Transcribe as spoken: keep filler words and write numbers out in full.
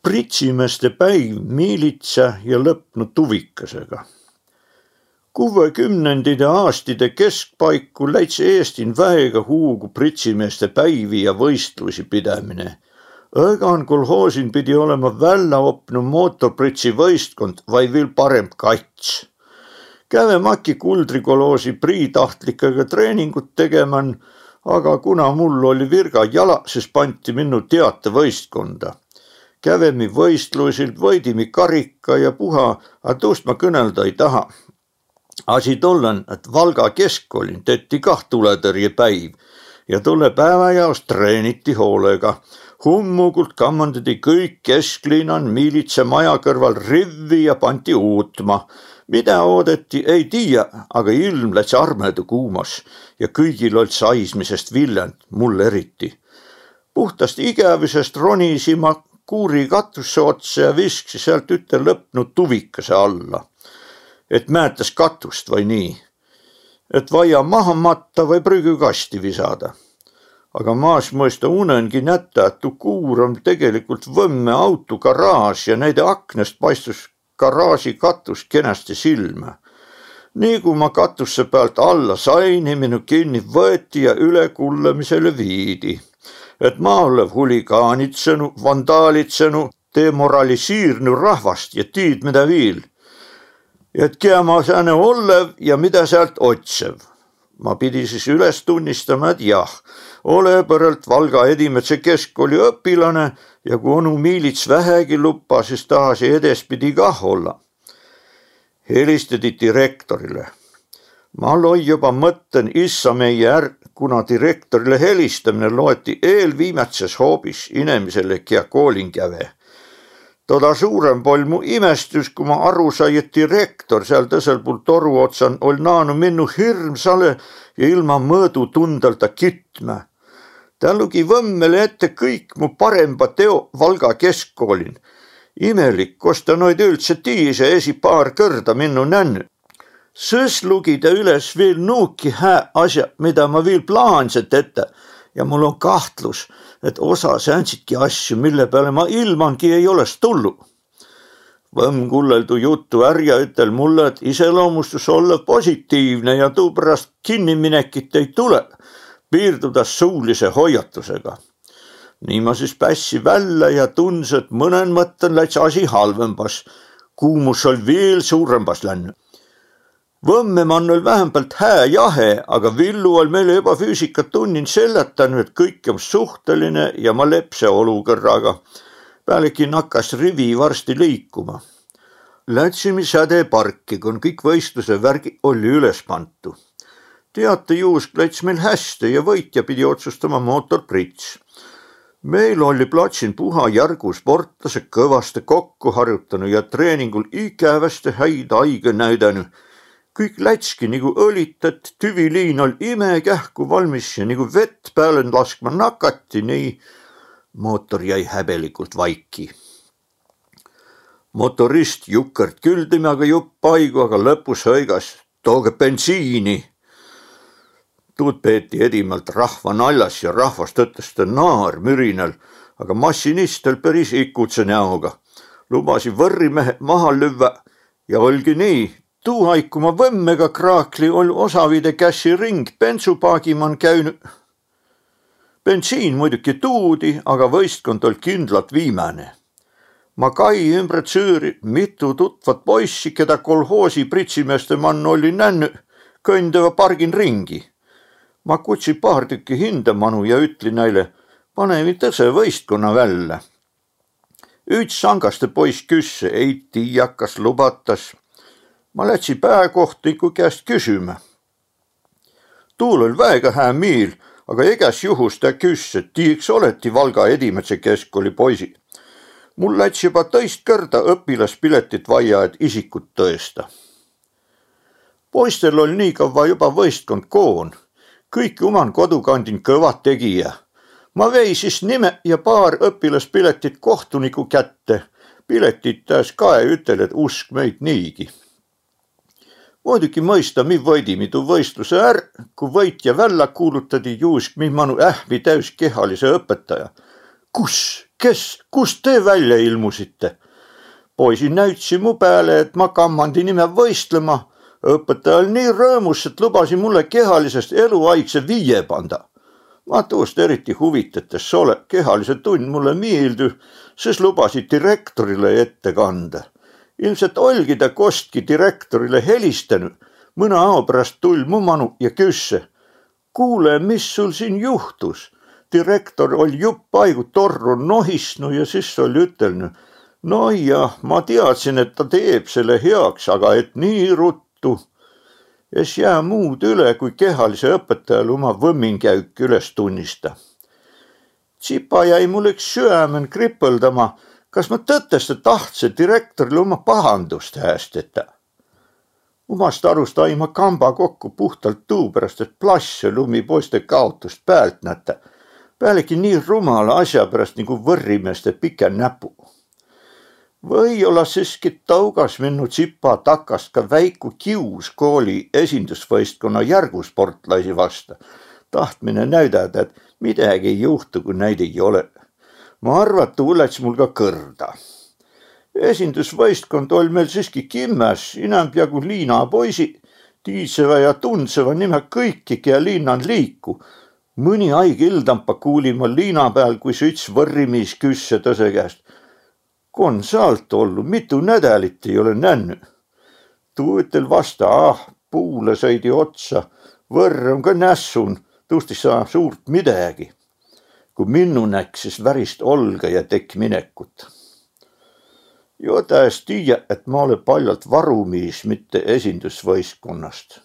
Pritsimeeste päiv miilitsä ja lõpnu tuvikasega. Kuvvekümnendide aastide keskpaiku läits Eestin väega huugu pritsimeeste päivi ja võistluisi pidämine. Õgan kolhoosin pidi olema välläopnu mootorpritsivõistkond vai viil paremb kats. Käve Maki Kuldri kolhoosi priitahtlikega treeningut tegemän, aga kuna mul oli virga jala, sis panti minnu teatevõistkonda. Kävemi võistluisil, võidimi karika ja puha, a tuust ma kõnelda ei taha. Asi tollen, et Valga keskkoolin tetti kah tuletõrjepäiv ja tolle päevä jaos treeniti hoolega. Hummugult kammandati kõik kesklinnan miilitsä maja kõrval rivvi ja panti uutma. Midä oodeti, ei tiiä, aga ilm läts armedda kuumas ja kõigil oll' saismisest villänd, mul eriti. Puhtast igävüsest ronisi ma kuuri katusse otsa ja viskasi sealt üte lõpnu tuvikase alla. Et mäetäs katust vai nii. Et vaia maha matta vai prügükasti visada. Aga ma es mõista unengi nätä, et tuu kuur om tegelikult Vömme autogaraaž ja näide aknast paistus garaaži katus kenästi silmä. Nii ku ma katusse päält alla sain, minu kinni võeti ja ülekullamisele viidi. Et ma ollev huligaanitsenu, vandaalitsenu, demoralisiirnu rahvast ja tiid midä viil. Et kiä ma sääne ollev ja midä sealt otsev. Ma pidi sis üles tunnistama, et jah, ole põrralt Valga edimädse keskkooli õpilane ja ku onu miilits vähägi luppa, sis tahasi edespidi kah olla. Helistedi direktorile. Ma loi joba mõtten issa meije är, kuna direktorile helistämine loeti eelviimätses hoobis inemisele, kiä koolin käve. Toda suuremb oll' mu imestüs, ku ma aru sai, et direktor seal tõsel puul toru otsan oll' naanu minnu hirmsale ja ilma mõõdutundalda kitmä. Tä lugi Vömmele ette kõik mu paremba teo Valga keskkoolin. Imelik, kos tä noid üldse tiis ja esi paar kõrda minnu nännü. Sõs lugi tä üles viil nuuki hää asja, midä ma viil plaanse tetä, ja mul om kahtlus, et osa säändsitki asju, mille peale ma ilmangi ei oles tullu. Vömm kullel tuu jutu är ja ütel mulle, et iseloomustus ollõv positiivne ja tuuperäst kinniminekit ei tule, piirduda suulise hoiatusega. Nii ma sis pässi vällä ja tundse, et mõnen mõtten läts asi halvembas. Kuumus oll' viil suurembas lännü. Vömme man oll' vähämbält hää jahe, aga Villu oll' meile joba füüsikatunnin sellätäny, et kõik om suhteline ja ma lepse olukõrraga. Pealegi nakkas rivi varsti liikuma. Lätsimi sädeparki, kon kõik võistluse värgi olli üles pantu. Teatejuusk läts meil häste ja võitja pidi otsustama mootor Prits. Meil olli platsin puha jargu sportlased, kõvaste kokku harjutanu ja treeningul igäväste häid aigõ näüdänü. Kõik lätski nigu õlitet, tüviliin oll' imekähku valmis ja nigu vett pääle laskma nakati, nii mootor jäi häbelikult vaiki. Motorist jukert küldimi aga jupp aigu, aga lõpus hõigas: "Tooge bensiini!" Tuud peeti edimalt rahva naljas ja rahvas tõtõstõ naar mürinal, aga massinist oll' peris ikutse näoga. Lubasi vörrimehe maha lüvvä ja oll'gi nii. Tuu aig, ku ma Vömmega kraakli, oll' osavide kässi ring bensupaagi man käünü. Bensiin muiduki tuudi, aga võistkond oll' kindlalt viimäne. Ma kai ümbre tsüüri mitu tutvat poissi, kedä kolhoosi pritsimeeste man olli nännü, kõndeva pargin ringi. Ma kutsi paar tükki hindä manu ja ütli näile: "Panevi tõse võistkonna vällä." Üts sangaste poiss küsse, ei tiiä, kas lubatas. Ma lätsi pääkohtuniku käest küsümä. Tuul oll' väega hää miil, aga egäs juhus tä küsse, et tii iks oleti Valga edimädse keskkooli poisi. Mul läts joba tõist kõrda õpilaspiletit vaia, et isikut tõesta. Poistel oll' nii kavva joba võistkond koon. Kõiki uman kodukandin kõva tegijä. Ma vei sis nime ja paar õpilaspiletit kohtuniku kätte. Piletit tä es kae, ütel, et usk meid niigi. Muiduki mõista mi võidimi tuu võistluse är, ku võitja vällä kuulutadi, juusk mi manu ähmi täüs kehalise õpetaja. Kus Kes, kus te välja ilmusite? Poisi näütsi mu pääle, et ma kammandi nime võistlema. Õpetaja oll' nii rõõmus, et lubasi mulle kehalisest eluaigse viie panda. Ma tuust eriti huvitet es ole, kehalise tunn mulle miildü, sys lubasi direktorile ette kanda. Ilmselt oll'gi ta kostki direktorile helistänü. Mõnõ ao peräst tull' mu manu ja küsse: Kuule, mis sul siin juhtus? Direktor oll' jupp aigu torru nohisnu ja sys oll' ütelnü: No jah, ma teadsin, et ta teeb selle heaks, aga et nii ruttu. Es jää muud üle, kui kehalise õpetajalle uma võmminkäük üles tunnista. Tsipa jäi mul iks süämen kripõldama, kas ma tõteste tahtse direktorile uma pahandust häästeta. Umast arust ai ma kamba kokku puhtalt tuu peräst, et plassõ lumi poiste kaotust päält nätä. Pealegi nii rumala asja peräst nigu võrrimeeste pikä näpu. Või-olla siski taugas minnu tsipa takast ka väiku kius kooli esindusvõistkonna järgusportlaisi vasta. Tahtmine näüdädä, et midägi ei juhtu, kui näid ei ole. Ma arvatu läts mul ka kõrda. Esindusvõistkond oll' meil siski kimmäs, inämbjagu liina poisi, tiidsevä ja tundsevva nimä kõiki, kiä liinan liiku. Mõni aig ildampa kuulin ma liina pääl, kui üts võrrimiis küsse tõse käest: Kon sa ollu, mitu nädälit ei ole nännü? Tuu ütel vasta: Ah, puule sõidi otsa, võrr om ka nässun, tuust ei saa suurt midägi. Kui minnu näkk, sis värist olga ja tekk minekut. Jo ta es tiiä, et ma ole paljalt varumiis, mitte esindusvõistkonnast.